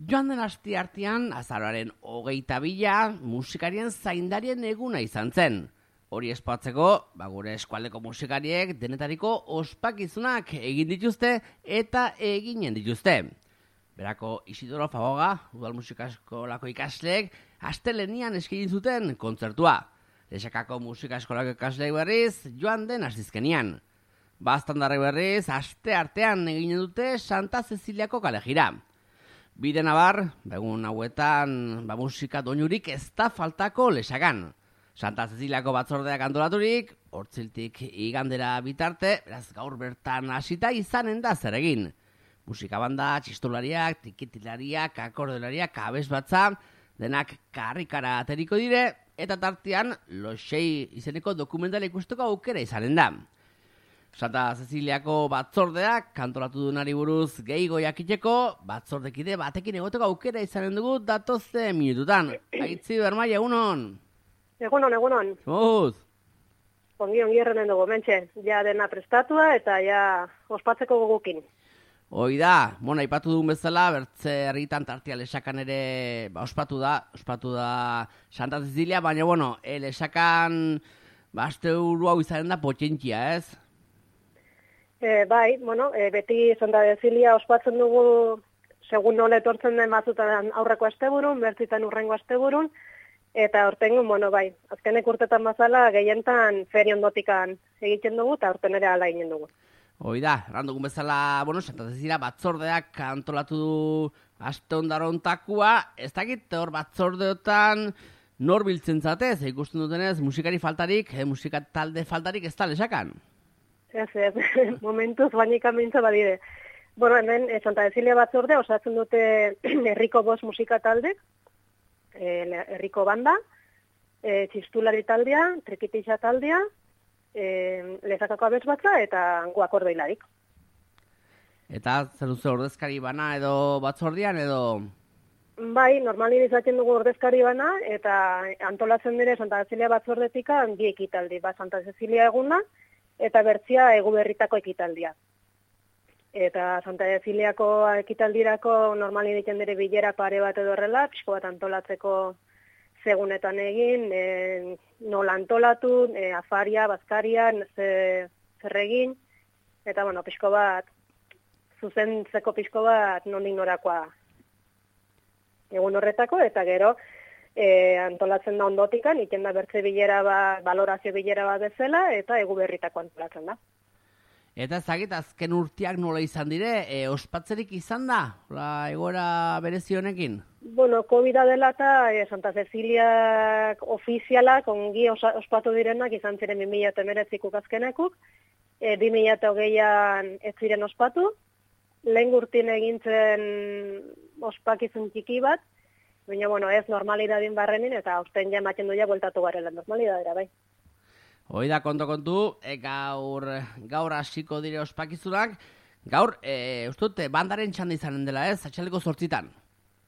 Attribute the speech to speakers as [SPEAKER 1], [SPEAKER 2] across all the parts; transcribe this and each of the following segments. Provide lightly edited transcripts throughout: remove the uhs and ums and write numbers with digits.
[SPEAKER 1] Joan den asteartean, azaroaren 22 musikarien zaindarien eguna izan zen. Hori espatzeko, gure eskualdeko musikariek denetariko ospakizunak egin dituzte eta eginen dituzte. Berako Isidoro Fagoga, udal musikaskolako ikasleek, astelenian eskaini zuten kontzertua. Lexakako musikaskolako ikasleek berriz, joan den astizkenian. Baztandarrek berriz, asteartean eginen dute Santa Ceciliako kalejira. Bide nabar, egun hauetan, musika doinurik ez da faltako Lexakan. Santa Ceciliako batzordeak antolaturik, hortziltik igandera bitarte, beraz gaur bertan hasita izanen da zer egin. Musika banda, txistolariak, tikitilariak, akordelariak, abesbatza, denak karrikara ateriko dire, eta tartean Loxei izeneko dokumentala ikusteko aukera izanen da. Santa Ceciliako batzordeak kantolatu dunari buruz gehiago jakiteko, batzordekide batekin egoteko aukera izanen dugu datozte minututan. Aitzi Bermaia, egunon?
[SPEAKER 2] Egunon.
[SPEAKER 1] Zuz?
[SPEAKER 2] Ongi errenen dugu, mentxe. Ja dena prestatua eta ja ospatzeko gogukin.
[SPEAKER 1] Hoi da, aipatu dugun bezala, bertze herritan tartia Lexakan ere ospatu da Santa Cecilia, baina Lexakan aste uru hau izanen da potentxia, ez?
[SPEAKER 2] Beti Santa Cecilia ospatzen dugu segun nola etortzen den batzutan aurreko asteburun, bertzitan urrengo asteburun, eta hortengo, azkenek urtetan bazala gehientan feri ondotikan egiten dugu, eta horten ere ala egin dugu.
[SPEAKER 1] Hoi da, errandugun bezala, Santa Cecilia batzordeak antolatu du aste ondarontakua, ez dakit hor batzordeotan nor biltzen zatez, ikusten dutenez musikari faltarik, musika talde faltarik ez da Lexakan.
[SPEAKER 2] Ez, momentuz bainika mintza badire. Hemen Santa Cecilia batzorde osatzen dute herriko 5 musika taldek, herriko banda, txistulari taldea, trikitixa taldea, Lexakako abesbatza eta akordeolarik.
[SPEAKER 1] Eta zer duzu ordezkari bana edo batzordian edo?
[SPEAKER 2] Bai, normali izaten dugu ordezkari bana eta antolatzen dire Santa Cecilia batzordetika 2 ekitaldi, Santa Cecilia eguna eta bertzia Eguberritako ekitaldia. Eta Santa Ceciliako ekitaldirako normali egiten dire bilera pare bat edo horrela, pixko bat antolatzeko segunetan egin, nola antolatu, afaria, bazkaria, zer egin, eta pixko bat, zuzentzeko pixko bat nondik norakoa egun horretako, eta gero antolatzen da ondotikan, iten da bertze bilera bat, balorazio bilera bat bezala, eta Eguberritako antolatzen da.
[SPEAKER 1] Eta ezagit, azken urteak nola izan dire, ospatzerik izan da, egoera berezi honekin?
[SPEAKER 2] COVID dela eta Santa Ceciliak ofizialak ongi ospatu direnak izan ziren 2019 azkenekuk, 2020an ez ziren ospatu, lehen urtin egintzen ospakizun txiki bat, baina ez normalidadin barrenin eta aurten ja ematen duia bueltatu garela normalidadera, bai.
[SPEAKER 1] Hoi da, kontu, gaur hasiko dire ospakizunak, gaur, ustut, bandaren txanda izanen dela ez, atxaldeko 8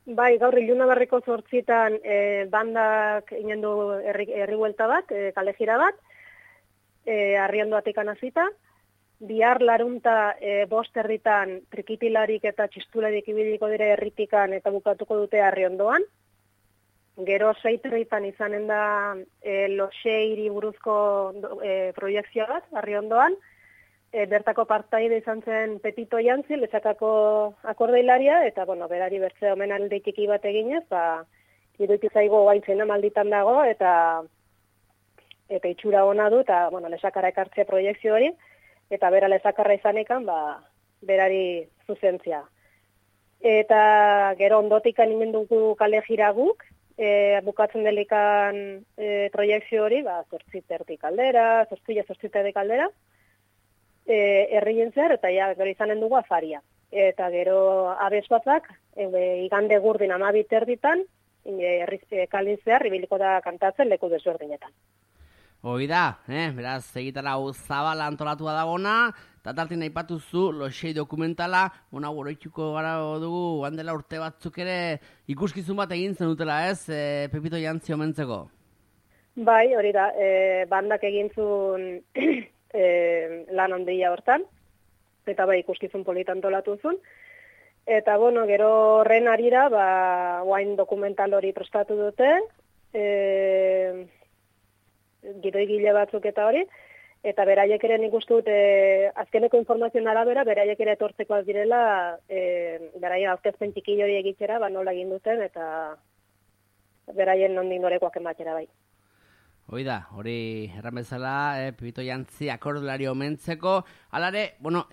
[SPEAKER 2] Bai, gaur Ilunabarreko 8 bandak inen du herri buelta bat, kalejira bat, Arriondoatik hasita, bihar larunta 5 herritan trikitilarik eta txistularik ibiliko dire herritikan eta bukatuko dute Arriondoan. Gero 6 herritan izanen da Loxeiri buruzko proiektzioa bat, Arriondoan. Bertako partaide izan zen Pepito Jantzi, Lexakako akordeolaria, eta berari bertze omenaldi txiki bat eginez, iruditu zaigu gaintzena malditan dago, eta itxura ona du, eta Lexakara ekartzea proiektzio hori, eta bera Lexakarra izanekan, berari zuzentzia. Eta gero ondotikan ingen dugu kalejira guk, bukatzen delikan proiektzio hori, 8:30 aldera, 8:30 aldera, herrien zer, eta gero izanen dugu afaria. Eta gero abesbatzak, igande gurdin 12:30, kalin zehar, ibiliko da kantatzen leku desberdinetan.
[SPEAKER 1] Hoi da, beraz, egitara hau zabala antolatua dagona, eta tartin aipatu zu Loxei dokumentala, oroitxuko gara dugu, handela urte batzuk ere ikuskizun bat egin zen dutela ez, Pepito Jantzi omentzeko?
[SPEAKER 2] Bai, hori da, bandak egin zuen lan handia hortan, eta ikuskizun polita antolatu zuen, Eta, bueno, gero horren arira, guain dokumental hori prestatu dute, gidoigile batzuk eta hori, eta beraiek ere nik uste dut, azkeneko informazioen arabera, beraiek ere etortzekoak direla, beraien aurkezpen txiki hori egitera, nola egin duten, eta beraien nondik norekoak ematera bai.
[SPEAKER 1] Hori erran bezala, Pipito Jantzi akordolari omentzeko, alare, bueno,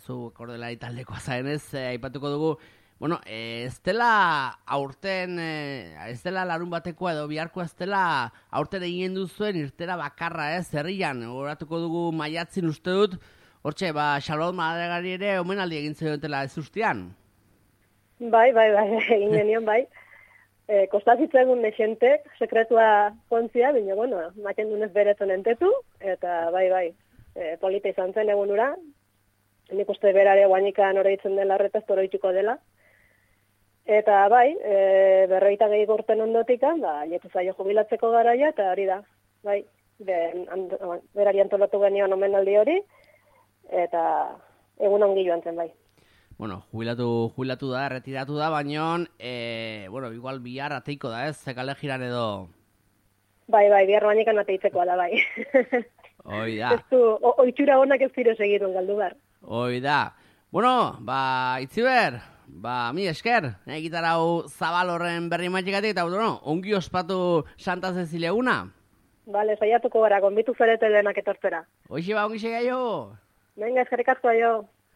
[SPEAKER 1] zu akordolari taldekoa zaenez, aipatuko dugu, bueno, ez dela aurten, ez dela larun batekoa edo biharkoa ez dela aurten egin duzuen irtera bakarra, herrian, horatuko dugu maiatzin uste dut, hortxe, Xalot Madregari ere omenaldi egin zioetela ez ustean?
[SPEAKER 2] Bai, egin genion, bai. Kostazitzen egun nexentek, sekretua kontzia, baina, bueno, maken dunez beretzen entetu, eta bai, polita izan zen egun ura, nik uste berare guanikan horreitzen dela horretaz oroituko dela. Eta bai, berroita gehi gorten ondotikan, jetu zaio jubilatzeko garaia, eta hori da, bai, berari antolatu genion omenaldi hori, eta egun ongi joan zen, bai.
[SPEAKER 1] Bueno, jubilatu da, retiratu da, baina, bueno, igual bihar ateiko da, ez? Kale jiran edo...
[SPEAKER 2] Bai, bihar bainikan ateitzekoa da, bai.
[SPEAKER 1] Hoi da.
[SPEAKER 2] Ez du, oitxura honak ez zire segitun galdu bar.
[SPEAKER 1] Hoi da. Bueno, Itziber, mi esker, gitarau zabal horren berri matxikatik, eta, bueno, ongi ospatu Santa Cecilia eguna.
[SPEAKER 2] Bale, saiatuko gara, gonbitu zarete denak etortzera.
[SPEAKER 1] Hoxe ongi segaio.
[SPEAKER 2] Venga, eskerrik asko jo.